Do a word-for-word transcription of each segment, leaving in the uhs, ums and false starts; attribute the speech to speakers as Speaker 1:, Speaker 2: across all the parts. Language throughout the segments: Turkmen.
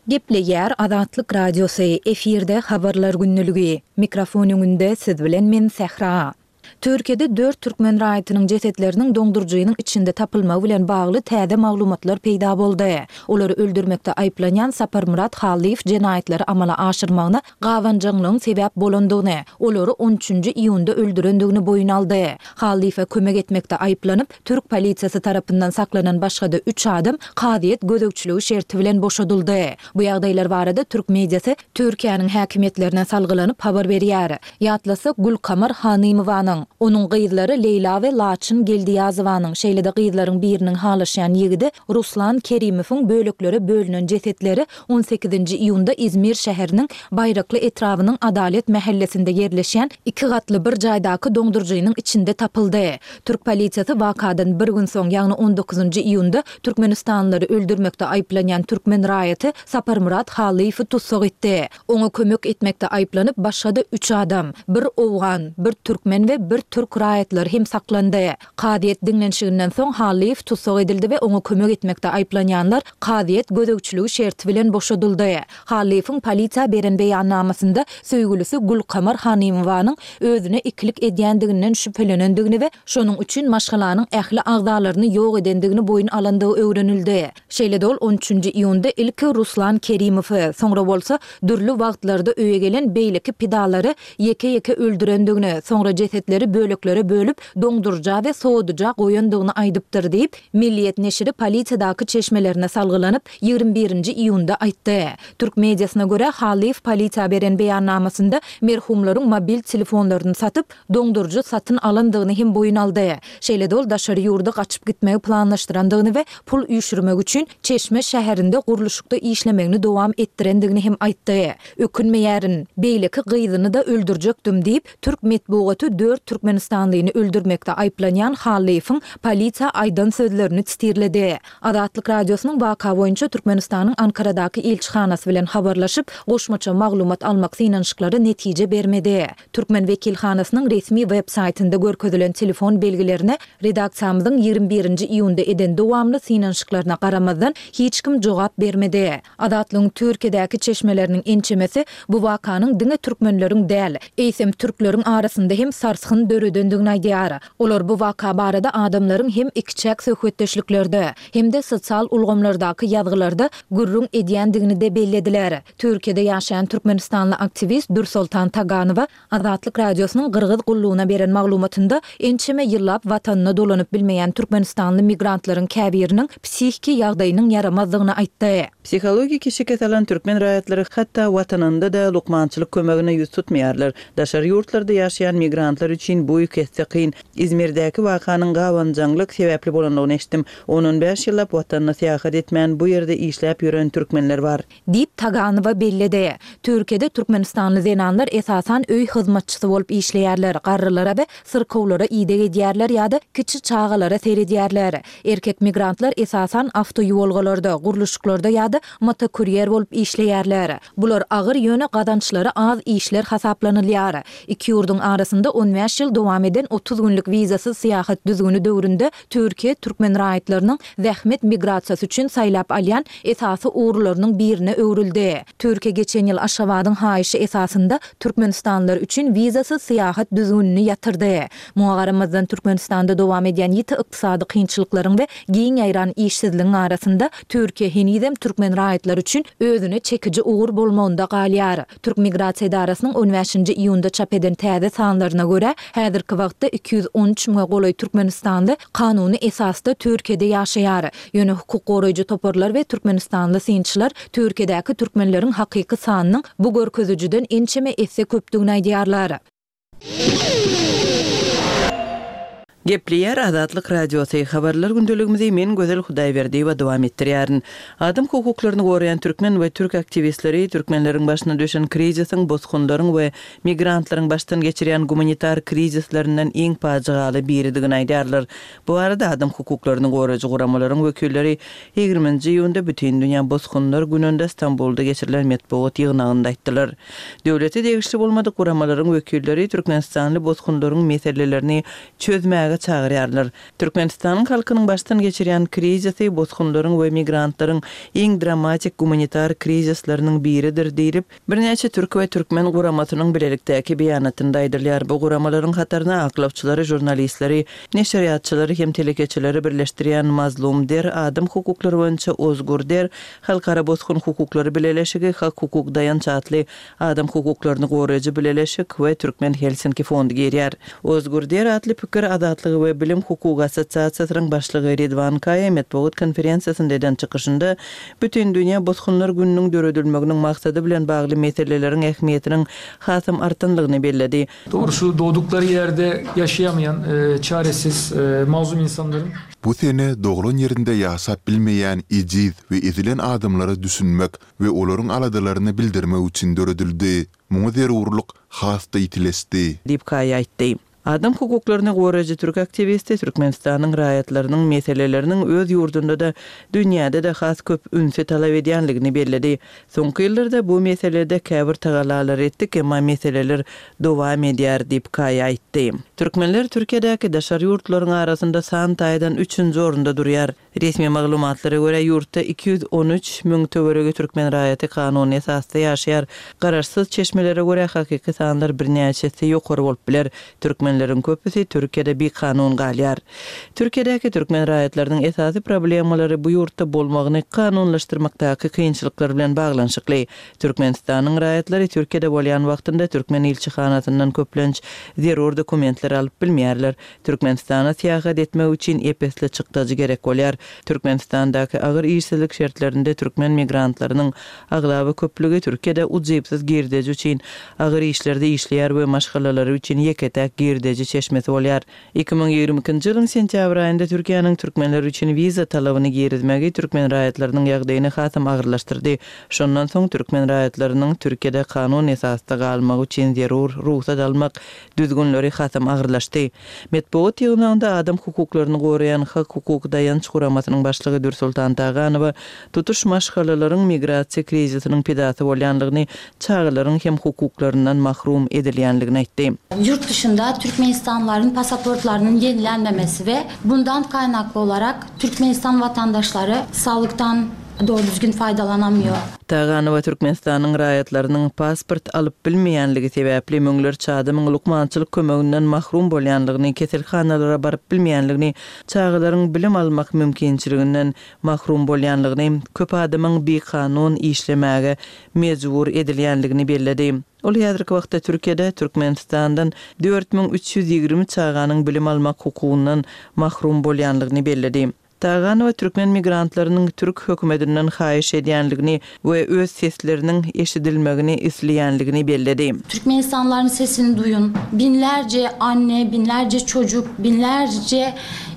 Speaker 1: Gepleýär Azatlyk Radiosy, efirde Habarlar gündeligi. Mikrofon öňünde siz bilen men Sähra. Türkiýede dört türkmen raýatynyň jesetleriniň doňduryjynyň içinde tapylmagy bilen bagly täze maglumatlar peýda boldy. Olary öldürmekde aýyplanýan Saparmyrat Hallyýew jenaýatlary amala aşyrmagyna gabanjaňlygyň sebäp bolandygyny, olary on üçünji iýunda öldürendigini boýun aldy. Hallyýewe kömek etmekde aýyplanyp, türk polisiýasy tarapyndan saklanan başga-da üç adam kazyýet gözegçiligi şerti bilen boşadyldy. Bu ýagdaýlar barada türk mediasy Türkiýäniň häkimiýetlerine salgylanyp habar berýär. Ýatlasak, Gülkamar Hanymowanyň, onuň gyzlary Leýla we Laçyn Geldiýazowanyň, şeýle-de gyzlaryň biriniň halaşýan ýigidi Ruslan Kerimowyň böleklere bölünen jesetleri on sekizinji iýunda Izmir şäheriniň Baýrakly etrabynyň Adalet mähellesinde ýerleşýän iki gatly bir jaýdaky doňduryjynyň içinde tapyldy. Türk polisiýasy wakadan bir gün soň, ýagny on dokuzynjy iýunda türkmenistanlylary öldürmekde aýyplanýan türkmen raýaty Saparmyrat Hallyýewi tussag etdi. Oňa kömek etmekde aýyplanyp, başga-da üç adam, bir owgan, bir türkmen we bir türk raýatlary hem saklandy. Kazyýet diňlenişiginden soň Hallyýew tussag edildi we oňa kömek etmekde aýyplanýanlar kazyýet gözegçiligi şerti bilen boşadyldy. Hallyýewiň polisiýa beren beýannamasynda söýgülisi Gülkamar Hanymowanyň özüne ikilik edýändiginden şübhelenendigini we şonuň üçin maşgalanyň ähli agzalaryny ýok edendigini boýun alandygy öwrenildi. Şeýle-de ol on üçünji iýunda ilki Ruslan Kerimowy, soňra bolsa dürli wagtlarda öýe gelen beýleki pidalary ýeke-ýeke öldürendigini, soňra jesetleri böleklere bölüp, doňduryja we sowadyja goýandygyny aýdypdyr diýip, Milliýet neşiri polisiýadaky çeşmelerine salgylanyp, ýigrimi birinji iýunda aýtdy. Türk mediasyna görä, Hallyýew polisiýa beren beýannamasynda merhumlaryň mobil telefonlaryny satyp, doňduryjy satyn alandygyny hem boýun aldy. Şeýle-de ol daşary ýurda gaçyp gitmegi planlaşdyrandygyny we pul üýşürmek üçin Çeşme şäherinde gurluşykda işlemegini dowam etdirendigini hem aýtdy. Ökünmeýärin. Beýleki gyzyny-da öldürjekdim diýip, türk metbugaty dört türkmenistanlyny öldürmekde aýyplanýan Hallyýewiň polisiýa aýdan sözlerini sitirledi. Azatlyk Radiosynyň waka boýunça Türkmenistanyň Ankaradaky ilçihanasy bilen habarlaşyp, goşmaça maglumat almak synanyşyklary netije bermedi. Türkmen wekilhanasynyň resmi web saýtynda görkezilen telefon belgilerine redaksiýamyzyň ýigrimi birinji iýunda eden dowamly synanyşyklaryna garamazdan, hiç kim jogap bermedi. Azatlygyň Türkiýedäki çeşmeleriniň ençemesi bu wakanyň diňe türkmenleriň däl, eýsem türkleriň arasynda hem sarsgyn döredendigini aýdýar. Olar bu waka barada adamlaryň hem ikiçäk söhbetdeşliklerde, hem-de sosial ulgamlardaky ýazgylarda gürrüň edýändigini-de bellediler. Türkiýede ýaşaýan türkmenistanly aktiwist Dürsoltan Taganowa Azatlyk Radiosynyň Gyrgyz gullugyna beren maglumatynda ençeme ýyllap watanyna dolanyp bilmeýän türkmenistanly migrantlaryň käbiriniň psihiki ýagdaýynyň ýaramazdygyny aýtdy.
Speaker 2: Psihologiki şikes alan türkmen raýatlary hatda watanynda-da lukmançylyk kömegine ýüz tutmaýarlar. Daşary ýurtlarda ýaşaýan migrantlar üçin bu iki esse kyn. Izmirdäki wakanyň gabanjaňlyk sebäpli bolandygyny eşitdim. On-on bäş ýyllap watanyna syýahat etmän, bu ýerde işläp ýören türkmenler bar.
Speaker 1: Diýip, Taganowa belledi. Türkiýede türkmenistanly zenanlar esasan öý hyzmatçysy bolup işleýärler, garrylara we syrkawlara ideg edýärler ýa-da kiçi çagalara seredýärler. Erkek migrantlar esasan awtoýuwalgalarda, gurluşyklarda ýa-da motokurýer bolup işleýärler. Bular agyr, ýöne gazançlary az işler hasaplanylýar. Iki ýurduň arasynda on bäş ýyl dowam eden otuz günlük wizasyz syýahat düzgüni döwründe Türkiýe türkmen raýatlarynyň zähmet migrasiýasy üçin saýlap alýan esasy ugurlarynyň birine öwrüldi. Türkiýe geçen ýyl Aşgabadyň haýyşy esasynda türkmenistanlylar üçin wizasyz syýahat düzgünini ýatyrdy. Muňa garamazdan, Türkmenistanda dowam edýän ýiti ykdysady kynçylyklaryň we giň ýaýran işsizligiň arasynda Türkiýe henizem türkmen raýatlary üçin özüne çekiji ugur bolmagynda galýar. Türk migrasiýa edarasynyň on bäşinji iýunda çap eden täze sanlaryna görä, häzirki wagtda iki ýüz on üç müňe golaý türkmenistanly kanuny esasda Türkiýede ýaşaýar. Ýöne hukuk goraýjy toparlar we türkmenistanly synçylar Türkiýedäki türkmenleriň hakyky sanynyň bu görkezijiden ençeme esse köpdügini aýdýarlar.
Speaker 2: Gepleýär Azatlyk Radiosy, Habarlar gündeligimizi men Gözel Hudaýberdiýewa dowam etdirýärin. Adam hukuklaryny goraýan türkmen we türk aktiwistleri türkmenleriň başyna düşen krizisiň bosgunlaryň we migrantlaryň başdan geçirýän gumanitar krizislerinden iň pajygaly biridigini aýdýarlar. Bu barada adam hukuklaryny goraýjy guramalaryň wekilleri ýigriminji iýunda Bütindünýä bosgunlar gününde Stambulda geçirilen metbugat ýygnagynda aýtdylar. Döwlete degişli bolmadyk guramalaryň wekilleri türkmenistanly bosgunlaryň meselelerini çözmäge etmäge çagyrýarlar. Türkmenistanyň halkynyň başdan geçirýän krizisi bosgunlaryň we migrantlaryň iň dramatik gumanitar krizisleriniň biridir diýlip, birnäçe türk we türkmen guramasynyň bilelikdäki beýanatynda aýdylýar. Bu guramalaryň hataryna aklawçylary, žurnalistleri, neşirýatçylary hem telekeçileri birleşdirýän Mazlum Der, adam hukuklary boýunça Ozgur Der, Halkara bosgun hukuklary bileleşigi, Hak-hukuk daýanç atly adam hukuklaryny goraýjy bileleşik we Türkmen Helsinki fondy girýär. Ozgur Der atly pikir azatlygy we bilim hukugy assosiasiýasynyň başlygy Ridwan Kaýa metbugat konferensiýasynda eden çykyşynda Bütindünýä bosgunlar gününiň döredilmeginiň maksady bilen bagly meseleleriň ähmiýetiniň hasam artanlygyny belledi.
Speaker 3: Dogrusu dogduklary ýerde ýaşaýamaýan çaresiz mazlum insanlaryň.
Speaker 4: Bu sene doglan ýerinde ýaşap bilmeýän ejiz we ezilen adamlara düşünmek we olaryň aladalaryny bildirmek üçin döredildi. Muňa zerurlyk has-da ýitileşdi.
Speaker 2: Diýip, Kaýa aýtdy. Adam hukuklaryny goraýjy türk aktiwisti Türkmenistanyň raýatlarynyň meseleleriniň öz ýurdunda-da, dünýäde-de has köp ünsi talap edýänligini belledi. Soňky ýyllarda bu meselede käbir tagalalary etdik, emma meseleler dowam edýär diýip, Kaýa aýtdy. Türkmenler Türkiýedäki daşary ýurtlaryň arasynda san taýdan üçünji orunda durýar. Resmi maglumatlara görä, ýurtda iki ýüz on üç müň töweregi türkmen raýaty kanuny esasda ýaşaýar. Garaşsyz çeşmelere görä, hakyky sanlar birnäçe esse ýokary bolup biler. Türkmenleriň köpüsi Türkiýede bikanun galýar. Türkiýedäki türkmen raýatlarynyň esasy problemalary bu ýurtda bolmagyny kanunlaşdyrmakdaky kynçylyklar bilen baglanyşykly. Türkmenistanyň raýatlary Türkiýede bolýan wagtynda türkmen ilçihanasyndan köplenç zerur dokumentleri alyp bilmeýärler. Türkmenistana syýahat etmek üçin ep-esli çykdajy gerek bolýar. Türkmenistandaky agyr işsizlik şertlerinde türkmen migrantlarynyň aglaba köplügi Türkiýede ujypsyz girdeji üçin agyr işlerde işleýär we maşgalalary üçin ýeke-täk girdeji çeşmesi bolýar. Iki müň ýigrimi ikinji ýylyň sentýabr aýynda Türkiýäniň türkmenler üçin wiza talabyny girizmegi türkmen raýatlarynyň ýagdaýyny hasam agyrlaşdyrdy. Şondan soň türkmen raýatlarynyň Türkiýede kanun esasda galmagy üçin zerur rugsat almak düzgünleri hasam agyrlaşdy. Metbugat ýygnagynda adam hukuklaryny goraýan Hak-hukuk daýanç guramasynyň başlygy Dürsoltan Taganowa tutuş maşgalalaryň migrasiýa krizisiniň pidasy bolýanlygyny, çagalaryň hem hukuklaryndan mahrum edilýänligini aýtdy.
Speaker 5: Ýurt dışynda türkmenistanlylaryň pasaportlarynyň ýenilenmemesi we bundan kaýnakly olarak Türkmenistan watandaşlary saglykdan dogry düzgün faýdalanamýor.
Speaker 2: Taganowa Türkmenistanyň raýatlarynyň pasport alyp bilmeýänligi sebäpli müňlerçe adamyň lukmançylyk kömeginden mahrum bolýanlygyny, keselhanalara baryp bilmeýänligini, çagalaryň bilim almak mümkinçiliginden mahrum bolýanlygyny, köp adamyň bikanun işlemäge mejbur edilýänligini belledi. Ol häzirki wagtda Türkiýede Türkmenistandan dört müň üç ýüz ýigrimi çaganyň bilim almak hukugyndan mahrum bolýanlygyny belledi. Taganowa türkmen migrantlarynyň türk hökümetinden haýyş edýänligini we öz sesleriniň eşidilmegini isleýänligini belledi.
Speaker 5: Türkmenistanlylaryň sesini duýun. Binlerce anne, binlerce çocuk, binlerce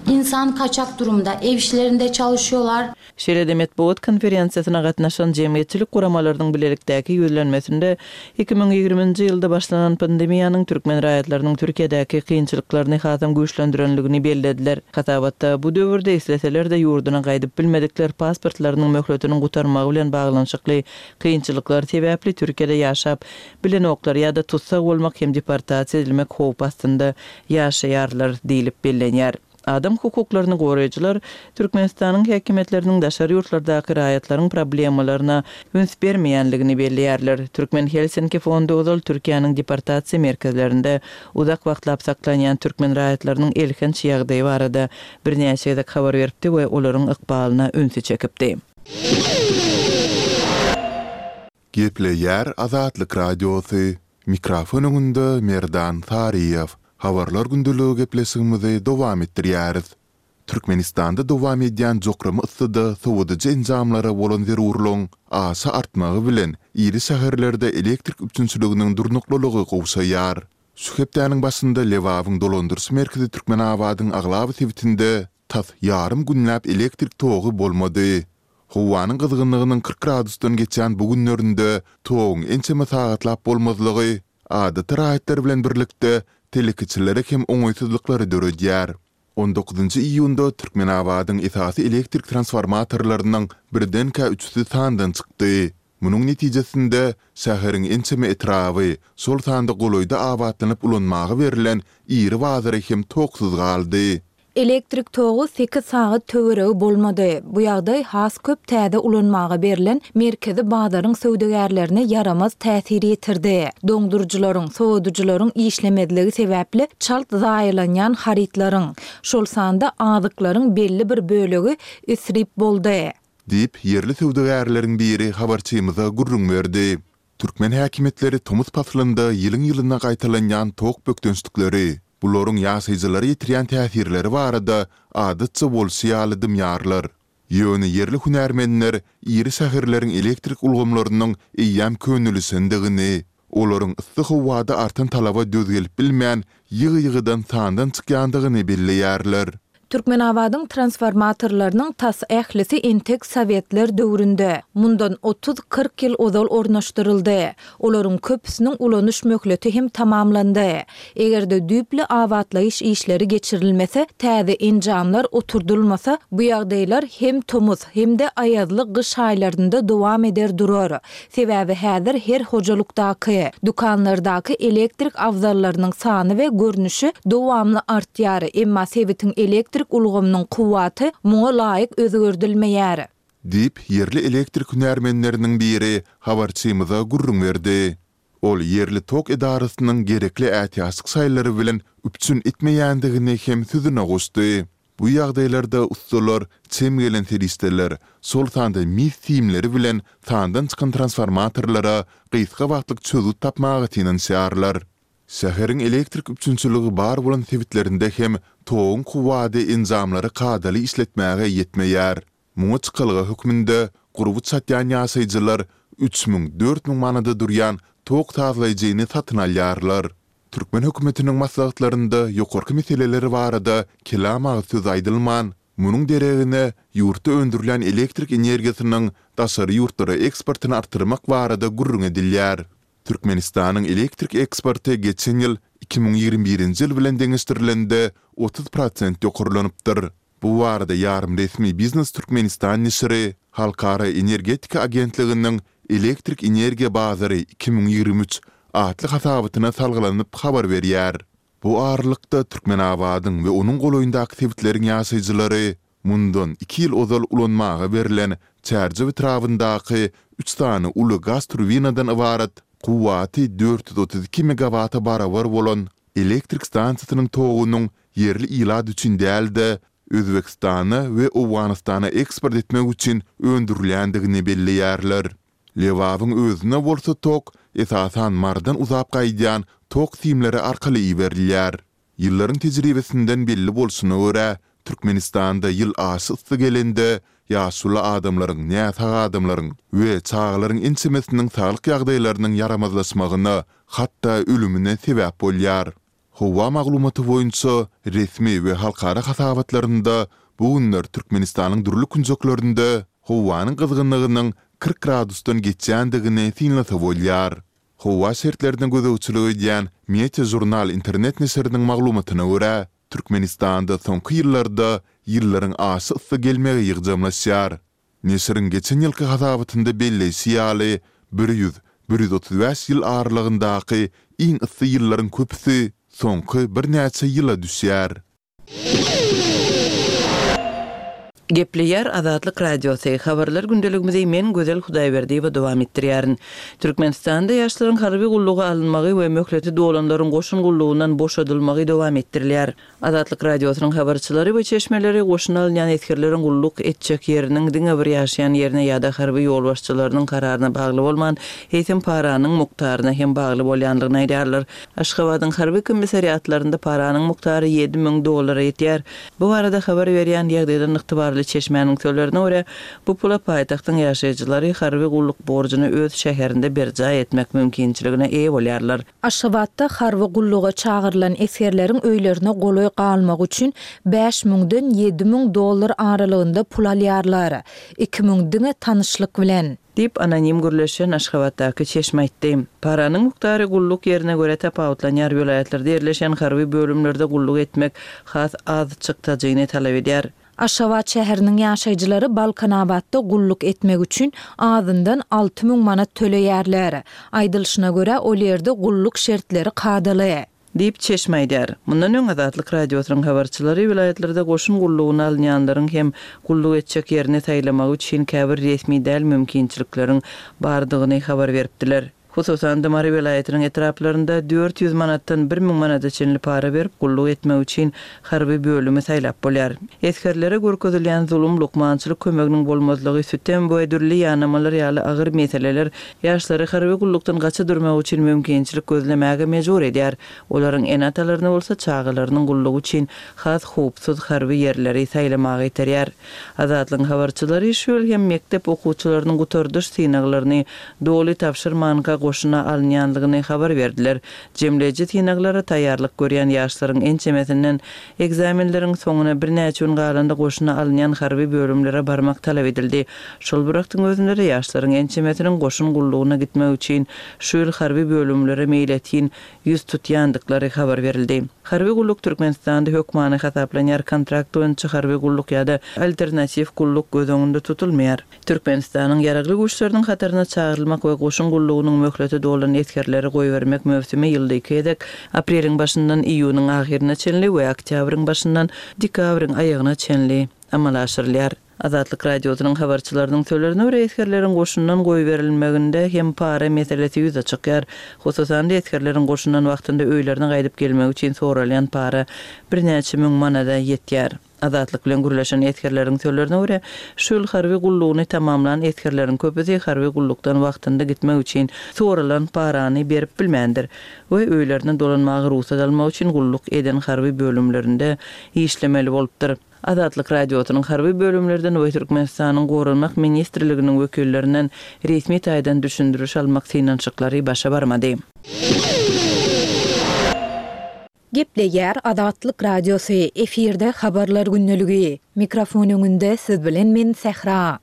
Speaker 5: insan kaçak durumda. Ev işlerinde çalışıyorlar.
Speaker 2: Şeýle-de metbugat konferensiýasyna gatnaşan jemgyýetçilik guramalarynyň bilelikdäki ýüzlenmesinde iki müň ýigriminji ýylda başlanan pandemiýanyň türkmen raýatlarynyň Türkiýedäki kynçylyklaryny hasam güýçlendirenligini bellediler. Hasabatda bu döwürde isleseler-de ýurduna gaýdyp bilmedikler pasportlarynyň möhletiniň gutarmagy bilen baglanyşykly kynçylyklar sebäpli Türkiýede ýaşap bilenoklar ýa-da tussag bolmak hem deportasiýa edilmek howpy astynda ýaşaýarlar diýlip bellenýär. Adam hukuklaryny goraýjylar Türkmenistanyň häkimiýetleriniň daşary ýurtlardaky raýatlaryň problemalaryna üns bermeýänligini belleýärler. Türkmen Helsinki fondy ozal Türkiýäniň deportasiýa merkezlerinde uzak wagtlap saklanýan türkmen raýatlarynyň elhenç ýagdaýy barada birnäçe gezek habar beripdi we olaryň ykbalyna ünsi çekipdi.
Speaker 4: Gepleýär Azatlyk Radiosy, Mikrofon öňünde Merdan Saryýew. Habarlar gündeligi gepleşigimizi dowam etdirýäris. Türkmenistanda dowam edýän jokrama yssyda sowadyjy enjamlara bolan zerurlygyň aşa artmagy bilen iri şäherlerde elektrik üpjünçiliginiň durnuklylygy gowşaýar. Şu hepdäniň başynda Lebabyň dolandyryş merkezi Türkmenabadyň aglaba sebitinde tas ýarym günläp elektrik togy bolmady. Howanyň gyzgynlygynyň kyrk gradusdan geçýän bu günlerinde toguň ençeme sagatlap bolmazlygy adaty raýatlar bilen birlikde telekeçilere hem oňaýsyzlyklary döredýär. On dokuzynjy iýunda Türkmenabadyň esasy elektrik transformatorlarynyň birdenkä üçüsi sandan çykdy. Munuň netijesinde, şäheriň ençeme etraby, şol sanda golaýda abatlanyp ulanmaga berlen iri bazary hem toksuz galdy.
Speaker 1: Elektrik togy sekiz sagat töweregi bolmady. Bu ýagdaý has köp täze ulanmaga berlen merkezi bazaryň söwdagärlerine ýaramaz täsir ýetirdi. Doňduryjylaryň, sowadyjylaryň işlemezligi sebäpli çalt zaýalanýan harytlaryň, şol sanda azyklaryň belli bir bölegi isrip boldy.
Speaker 4: Diýip, ýerli söwdagärleriň biri habarçymyza gürrüň berdi. Türkmen häkimiýetleri tomus paslynda ýylyň-ýylyna gaýtalanýan tok bökdençlikleri, bularyň ýaşaýjylara ýetirýän täsirleri barada adatça bolşy ýaly dymýarlar. Ýöne ýerli hünärmenler iri şäherleriň elektrik ulgamlarynyň eýýäm könelişendigini, olaryň yssy howada artan talaba döz gelip bilmän, ýygy-ýygydan sandan çykýandygyny belleýärler.
Speaker 1: Türkmenabadyň transformatorlarynyň tas ählisi entek sowetler döwründe, mundan otuz-kyrk ýyl ozal ornaşdyryldy. Olaryň köpüsiniň ulanyş möhleti hem tamamlandy. Eger-de düýpli abatlaýyş işleri geçirilmese, täze enjamlar oturdylmasa, bu ýagdaýlar hem tomus, hem-de aýazly gyş aýlarynda dowam eder durar. Sebäbi häzir her hojalykdaky, dükanlardaky elektrik abzallarynyň sany we görnüşi dowamly artýar, emma sebitiň elektrik ulgamynyň kuwwaty muňa laýyk özgerdilmeýär.
Speaker 4: Diýip, ýerli elektrik hünärmenleriniň biri habarçymyza gürrüň berdi. Ol ýerli tok edarasynyň gerekli ätiýaçlyk şaýlary bilen üpjün etmeýändigini hem sözüne goşdy. Bu ýagdaýlarda ussalar çem gelen serişdeler, şol sanda mis simleri bilen sandan çykan transformatorlara gysga wagtlyk çözgüt tapmaga synanyşýarlar. Şäheriň elektrik üpjünçiligi bar bolan sebitlerinde hem toguň kuwwady enjamlary kadaly işletmäge ýetmeýär. Muňa çykalga hökmünde gurby çatýan ýaşaýjylar üç müň, dört müň manada durýan tok sazlaýjyny satyn alýarlar. Türkmen hökümetiniň maslahatlarynda ýokarky meseleler barada kelam agyz söz aýdylman, munuň deregine ýurtda öndürilýän elektrik energiýasynyň daşary ýurtlara eksportyny artdyrmak barada gürrüň edilýär. Türkmenistanyň elektrik eksporty geçen ýyl iki müň ýigrimi birinji ýyl bilen deňeşdirilende otuz prosent ýokarlanypdyr. Bu barada ýarym resmi Biznes Türkmenistan neşiri Halkara energetika agentliginiň Elektrik energiýa bazary iki müň ýigrimi üç atly hasabatyna salgylanyp habar berýär. Bu aralykda, Türkmenabadyň we onuň golaýyndaky sebitleriň ýaşaýjylary mundan iki ýyl ozal ulanmaga berlen Çärjew etrabyndaky üç sany uly gaz turbinadan ybarat kuwwaty dört ýüz otuz iki megawata barabar bolan elektrik stansiýasynyň togunyň ýerli ilat üçin däl-de, Özbegistana we Owganystana eksport etmek üçin öndürilýändigini belleýärler. Lebabyň özüne bolsa tok, esasan, Marydan uzap gaýdýan tok simleri arkaly iberilýär. Ýyllaryň tejribesinden belli bolşuna görä, Türkmenistanda ýyl aşa yssy gelende, ýaşuly adamlaryň, näsag adamlaryň we çagalaryň ençemesiniň saglyk ýagdaýlarynyň ýaramazlaşmagyna, hatda ölümine sebäp bolýar. Howa maglumaty boýunça resmi we halkara hasabatlarynda bu günler Türkmenistanyň dürli künjeklerinde howanyň gyzgynlygynyň kyrk gradusdan geçýändigini synlasa bolýar. Howa şertlerine gözegçilik edýän Meteožurnal internet neşiriniň maglumatyna görä, Türkmenistanda soňky ýyllarda ýyllaryň aşa yssy gelmegi ýygjamlaşýar. Neşiriň geçen ýylky hasabatynda belleýşi ýaly, bir ýüz, bir ýüz otuz bäş ýyl aralygyndaky iň yssy ýyllaryň köpüsi soňky birnäçe ýyla düşýär.
Speaker 2: Gepleýär Azatlyk Radiosy, Habarlar gündeligimizi men Gözel Hudaýberdiýewa dowam etdirýärin. Türkmenistanda ýaşlaryň harby gulluga alynmagy we möhleti dolanlaryň goşun gullugyndan boşadylmagy dowam etdirilýär. Azatlyk Radiosynyň habarçylary we çeşmeleri goşuna alynýan esgerleriň gulluk etjek ýeriniň diňe bir ýaşaýan ýerine ýa-da harby ýolbaşçylarynyň kararyna bagly bolman, eýsem paranyň mukdaryna hem bagly bolýandygyny aýdýarlar. Aşgabadyň harby komissariatlarynda paranyň mukdary ýedi müň dollara ýetýär. Bu barada habar berýän ýagdaýdan ygtybarly çeşmäniň sözlerine görä, bu pula paýtagtyň ýaşaýjylary harby gulluk borjuny öz şäherinde berjaý etmek mümkinçiligine eýe bolýarlar.
Speaker 1: Aşgabatda harby gulluga çagyrylan esgerleriň öýlerine golaý galmagy üçin bäş müňden ýedi müň dollar aralygynda pul alýarlar. Iki müň diňe tanyşlyk bilen.
Speaker 2: Diýip, anonim gürleşen Aşgabatdaky çeşme aýtdy. Paranyň mukdary gulluk ýerine görä tapawutlanýar, welaýatlarda ýerleşen harby bölümlerde gulluk etmek has az çykdajyny talap edýär.
Speaker 1: Aşgabat şäheriniň ýaşaýjylary Balkanabatda gulluk etmek üçin azyndan alty müň manat töleýärler. Aýdylyşyna görä, ol ýerde gulluk şertleri kadaly.
Speaker 2: Diýip, çeşme aýdýar. Mundan öň Azatlyk Radiosynyň habarçylary welaýatlarda goşun gullugyna alynýanlaryň hem gulluk etjek ýerini saýlamagy üçin käbir resmi däl mümkinçilikleriň bardygyny habar beripdiler. Hususan-da, Mary welaýatynyň etraplarynda dört ýüz manatdan bir müň manada çenli para berip, gulluk etmek üçin harby bölümi saýlap bolýar. Esgerlere görkezilýän zulum, lukmançylyk kömeginiň bolmazlygy, sütem we dürli ýanamalar ýaly agyr meseleler ýaşlary harby gullukdan gaça durmak üçin mümkinçilik gözlemäge mejbur edýär. Olaryň ene-atalaryny bolsa çagalarynyň gullugy üçin has howpsuz harby ýerleri saýlamaga iterýär. Azatlygyň habarçylary şu ýyl hem mekdep okuwçylarynyň gutardyş synaglaryny doly tabşyrmanka goşuna alynýandygyny habar berdiler. Jemleýji synaglara taýýarlyk görýän ýaşlaryň ençemesinden ekzamenleriň soňuna birnäçe gün galanda goşuna alynýan harby bölümlere barmak talap edildi. Şol bir wagtyň özünde-de ýaşlaryň ençemesiniň goşun gullugyna gitmek üçin şu ýyl harby bölümlere meýletin ýüz tutýandyklary habar berildi. Harby gulluk Türkmenistanda hökmany hasaplanýar, kontrakt boýunça harby gulluk ýa-da alternatiw gulluk göz öňünde tutulmaýar. Türkmenistanyň Ýaragly Güýçleriniň hataryna çagyrylmak we goşun gullugynyň möhleti dolan esgerleri goýbermek möwsümi ýylda iki gezek, apreliň başyndan iýunyň ahyryna çenli we oktýabryň başyndan dekabryň aýagyna çenli amala aşyrylýar. Azatlyk Radiosynyň habarçylarynyň sözlerine görä, esgerleriň goşundan goýberilmeginde hem para meselesi ýüze çykýar. Hususan-da, esgerleriň goşundan wagtynda öýlerine gaýdyp gelmegi üçin soralýan para birnäçe müň manada ýetýär. Azatlyk bilen gürleşen esgerleriň sözlerine görä, şu ýyl harby gullugyny tamamlan esgerleriň köpüsi harby gullukdan wagtynda gitmek üçin soralan parany berip bilmändir we öýlerine dolanmaga rugsat almak üçin gulluk eden harby bölümlerinde işlemeli bolupdyr. Azatlyk Radiosynyň harby bölümlerden we Türkmenistanyň Goranmak ministrliginiň wekillerinden resmi taýdan düşündiriş almak synanyşyklary başa barmady.
Speaker 1: Gepleýär Azatlyk Radiosy, efirde Habarlar gündeligi. Mikrofon öňünde siz bilen men Sähra.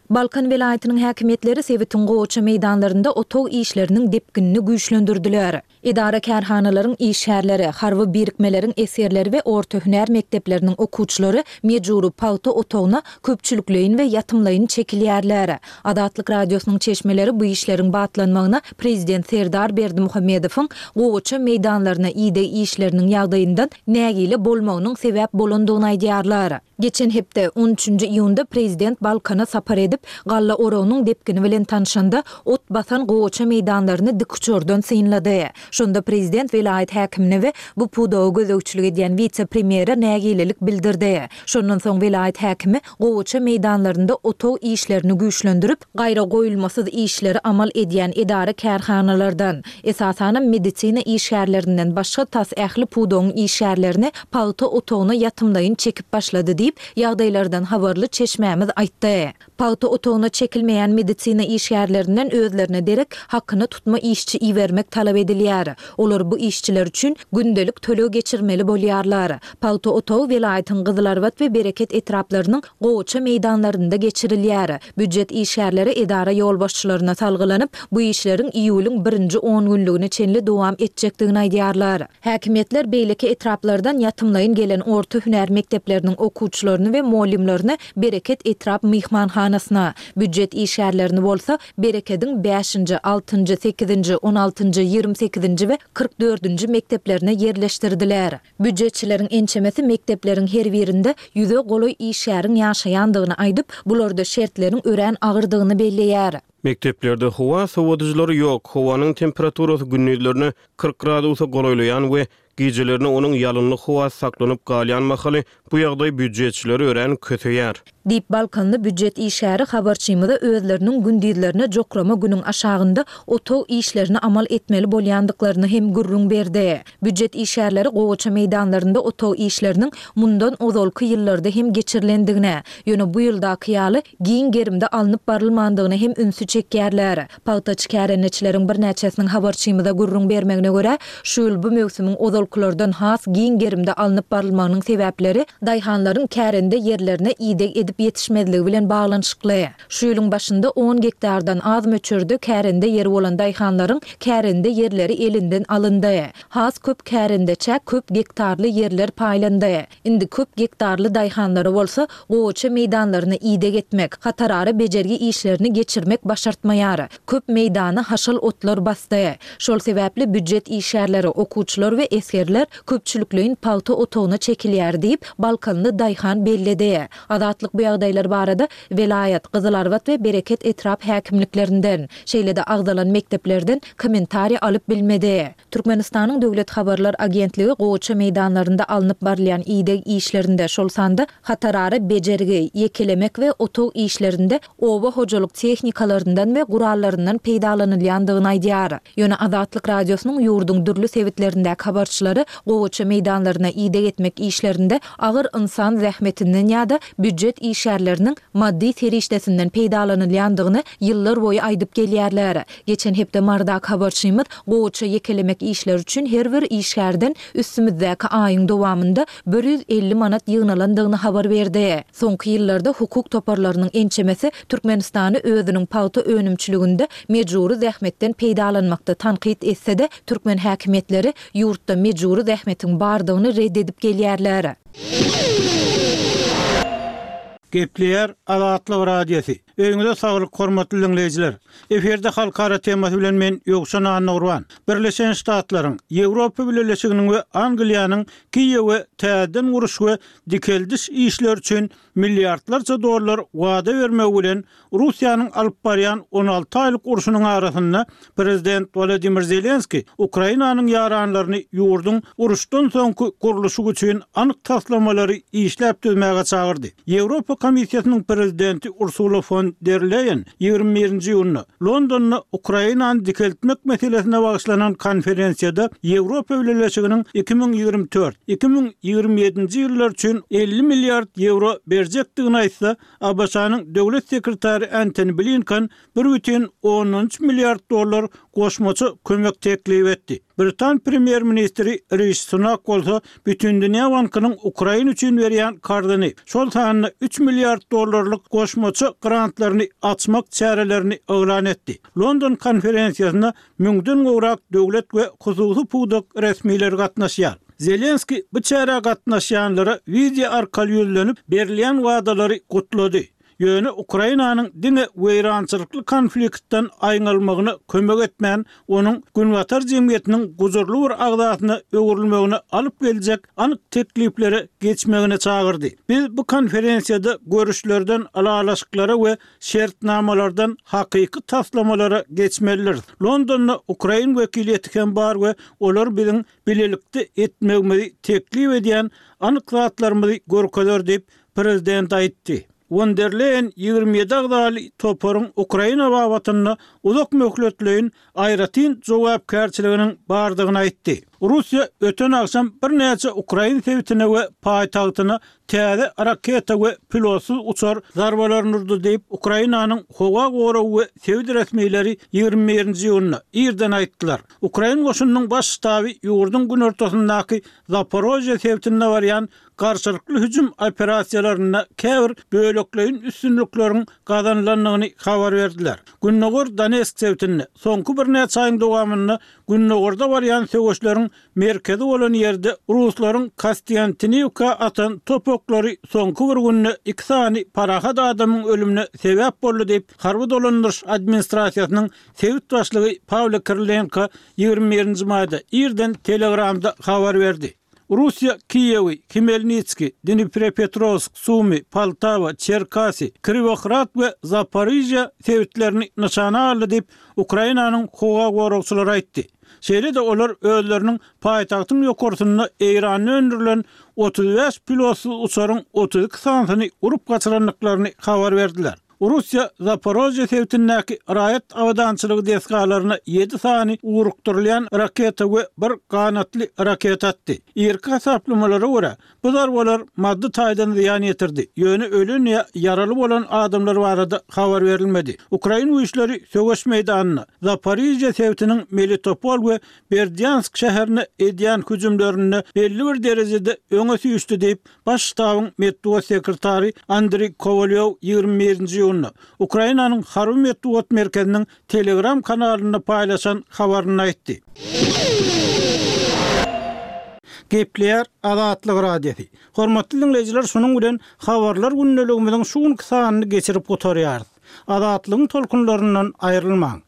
Speaker 1: Balkan welaýatynyň häkimiýetleri sebitiň gowaça meýdanlarynda otag işleriniň depginini güýçlendirdiler. Edara-kärhanalaryň işgärleri, harby birikmeleriň esgerleri we orta hünär mekdepleriniň okuwçylary mejbury pagta otagyna köpçülikleýin we ýatymlaýyn çekilýärler. Azatlyk Radiosynyň çeşmeleri bu işleriň batlanmagyna prezident Serdar Berdimuhamedowyň gowaça meýdanlaryna ideg işleriniň ýagdaýyndan nägile bolmagynyň sebäp bolandygyny aýdýarlar. Geçen hepde, on üçünji iýunda prezident Balkana sapar edip, galla oragynyň depgini bilen tanşanda, ot basan gowaça meýdanlaryny dikuçardan synlady. Şonda prezident welaýat häkimine we bu pudaga gözegçilik edýän wise-premýere nägilelik bildirdi. Şondan soň welaýat häkimi gowaça meýdanlarynda otag işlerini güýçlendirip, gaýragoýulmasyz işleri amal edýän edara-kärhanalardan, esasanam medisina işgärlerinden başga tas ähli pudagyň işgärlerini pagta otagyna ýatymlaýyn çekip başlady diýip, ýagdaýlardan habarly çeşmämiz aýtdy. Pagta otagyna çekilmeýän medisina işgärlerinden özlerine derek hakyna tutma işçi ibermek talap edilýär. Olar bu işçiler üçin gündelik töleg geçirmeli bolýarlar. Pagta otagy welaýatyň Gyzylarbat we Bereket etraplarynyň gowaça meýdanlarynda geçirilýär. Býujet işgärleri edara ýolbaşçylaryna salgylanyp, bu işleriň iýulyň birinji on günlügine çenli dowam etjekdigini aýdýarlar. Häkimiýetler beýleki etraplardan ýatymlaýyn gelen orta hünär mekdepleriniň okuwçylaryny we mugallymlaryny Bereket etrap myhmanhanasyna, býujet işgärlerini bolsa Berekediň bäşinji, altynjy, sekizinji, on altynjy, ýigrimi sekizinji we kyrk dördünji mekdeplerine ýerleşdirdiler. Býujetçileriň ençemesi mekdepleriň her birinde ýüze golaý işgäriň ýaşaýandygyny aýdyp, bularda şertleriň örän agyrdygyny belleýär.
Speaker 6: Mekdeplerde howa sowadyjylary ýok, howanyň temperaturasy gündizlerine kyrk gradusa golaýlaýan we gijelerine onuň ýalynly howasy saklanyp galýan mahaly bu ýagdaý býujetçileri örän köseýär.
Speaker 1: Diýip, balkanly býujet işgäri habarçymyza özleriniň gündizlerine jokrama günüň aşagynda otag işlerini amal etmeli bolýandyklaryny hem gürrüň berdi. Býujet işgärleri gowaça meýdanlarynda otag işleriniň mundan ozalky ýyllarda hem geçirilendigine, ýöne bu ýyldaky ýaly giň gerimde alnyp barylmandygyna hem ünsi çekýärler. Pagtaçy kärendeçileriň birnäçesiniň habarçymyza gürrüň bermegine görä, şu ýyl bu möwsümiň ozalkylardan has giň gerimde alnyp barylmagynyň sebäpleri daýhanlaryň kärende ýerlerine ideg edip ýetişmezligi bilen baglanyşykly. Şu ýylyň başynda on gektardan az möçberde kärende ýeri bolan daýhanlaryň kärende ýerleri elinden alyndy. Has köp kärendeçä köp gektarly ýerler paýlandy. Indi köp gektarly daýhanlara bolsa gowaça meýdanlaryny ideg etmek, hatarara bejergi işlerini geçirmek başartmaýar. Köp meýdany haşal otlar basdy. Şol sebäpli býujet işgärleri, okuwçylar we esgerler köpçülikleýin pagta otagyna çekilýär diýip, balkanly daýhan belledi. Azatlyk bu ýagdaýlar barada welaýat, Gyzylarbat we Bereket etrap häkimliklerinden, şeýle-de agzalan mekdeplerden kommentariý alyp bilmedi. Türkmenistanyň Döwlet habarlar agentligi gowaça meýdanlarynda alnyp barylýan ideg işlerinde, şol sanda hatarara bejergi, ýekelemek we otag işlerinde oba hojalyk tehnikalaryndan we gurallaryndan peýdalanylýandygyny aýdýar. Ýöne Azatlyk Radiosynyň ýurduň dürli sebitlerindäki habarçylary gowaça meýdanlaryna ideg etmek işlerinde agyr ynsan zähmetinden ýa-da býujet işgärleriniň maddy serişdesinden peýdalanylýandygyny ýyllar boýy aýdyp gelýärler. Geçen hepde Marydaky habarçymyz gowaça ýekelemek işleri üçin her bir işgärden üstümizdäki aýyň dowamynda bir ýüz elli manat ýygnalandygyny habar berdi. Soňky ýyllarda hukuk toparlarynyň ençemesi Türkmenistany özüniň pagta önümçiliginde mejbury zähmetden peýdalanmakda tankyt etse-de, türkmen häkimiýetleri ýurtda mejbury zähmetiň bardygyny red edip gelýärler.
Speaker 7: Gepleýär Azatlyk Radiosy. Öýüňize saglyk, hormatly diňleýjiler. Efirde halkara temasy bilen men Ýowşan Annagurban. Birleşen Ştatlaryň, Ýewropa Bileleşiginiň we Angliýanyň Kiýewe täzeden guruş we dikeldiş işleri üçin milliardlarça dollar wada bermegi bilen Russiýanyň alyp barýan on alty aýlyk urşunyň arasynda prezident Wladimir Zelenskiý Ukrainanyň ýaranlaryny ýurduň uruşdan soňky gurluşygy üçin anyk taslamalary işläp düzmäge çagyrdy. Ýewropa Komissiýasynyň prezidenti Ursula fon der Leýen ýigrimi birinji iýunda Londonda Ukrainany dikeltmek meselesine bagyşlanan konferensiýada Ýewropa Bileleşiginiň iki müň ýigrimi dört, iki müň ýigrimi ýedinji ýyllar üçin elli milliard ýewro berjekdigini aýtsa, ABŞ-nyň döwlet sekretary Antony Blinken bir bütin ondan üç milliard dollar goşmaça kömek teklip etdi. Britan premýer-ministri Rişi Sunak bolsa Bütindünýä bankynyň Ukraina üçin berýän karzyny, şol sanda üç milliard dollarlyk goşmaça grantlaryny açmak çärelerini yglan etdi. London konferensiýasyna müňden gowrak döwlet we hususy pudak resmileri gatnaşýar. Zelenskiý bu çärä gatnaşýanlara wideo arkaly ýüzlenip, berilýän wadalary gutlady. Ýöne Ukrainanyň diňe weýrançylykly konfliktden aýňalmagyna kömek etmän, onuň Günbatar jemgyýetiniň gujurly bir agzasyna öwrülmegine alyp geljek anyk tekliplere geçmegine çagyrdy. Biz bu konferensiýada görüşlerden ylalaşyklara we şertnamalardan hakyky taslamalara geçmelidiris. Londonda ukrain wekiliýeti hem bar we olar biziň bilelikde etmegimizi teklip edýän anyk zatlarymyzy görkezer diýip, prezident aýtdy. Won der Leýen ýigrimi ýedi agzaly toparyň Ukraina babatynda uzak möhletleýin aýratyn jogapkärçiliginiň bardygyny aýtdy. Russiýa öten agşam birnäçe ukrain sebitine we paýtagtyna täze raketa we pilotsyz uçar zarbalaryny urdy diýip, Ukrainanyň howa goragy we sebit resmileri ýigrimi birinji iýunda irden aýtdylar. Ukrain goşunynyň baş ştaby ýurduň günortasyndaky Zaporožýe sebitinde barýan garşylykly hüjüm operasiýalarynda käbir bölekleýin üstünlikleriň gazanylandygyny habar berdiler. Gündogar Donetsk sebitinde soňky birnäçe aýyň dowamynda gündogarda barýan söweşleriň merkezi bolan ýerde ruslaryň Kostýantiniwka atan top oklary soňky bir günde iki sany parahat adamyň ölümine sebäp boldy diýip, harby dolandyryş administrasiýasynyň sebit başlygy Pawlo Kirilenko ýigrimi birinji maýda irden Telegramda habar berdi. Russiýa Kiýewi, Hmelnitskiý, Dniprepetrowsk, Sumy, Poltawa, Çerkasy, Kriwohrad we Zaporižýa sebitlerini nyşana aldy diýip, Ukrainanyň howa goragçylary aýtdy. Şeýle-de olar özleriniň paýtagtyň ýokarsynda Eýranda öndürilen otuz bäş pilotsyz uçaryň otuz iki sanysyny urup gaçyrandyklaryny habar berdiler. Russiýa Zaporožýe sebitindäki raýat abadançylygy desgalaryna ýedi sany ugrukdyrylýan raketa we bir ganatly raketa atdy. Irki hasaplamalara görä, bu zarbalar maddy taýdan zyýan ýetirdi, ýöne ölen ýa ýaraly bolan adamlar barada habar berilmedi. Ukrain güýçleri söweş meýdanynda Zaporižýe sebitiniň Melitopol we Berdýansk şäherine edýän hüjümlerinde belli bir derejede öňe süýşdi diýip, Baş ştabyň metbugat sekretary Andriý Kowalýow ýigrimi birinji iýunda Ukrainanyň Harby metbugat merkeziniň Telegram kanalynda paýlaşan habarynda aýtdy. Gepleýär Azatlyk Radiosy. Hormatly diňleýjiler şunuň bilen Habarlar gündeligimiziň şu günki sanyny geçirip gutarýarys. Azatlygyň tolkunlaryndan aýrylmaň!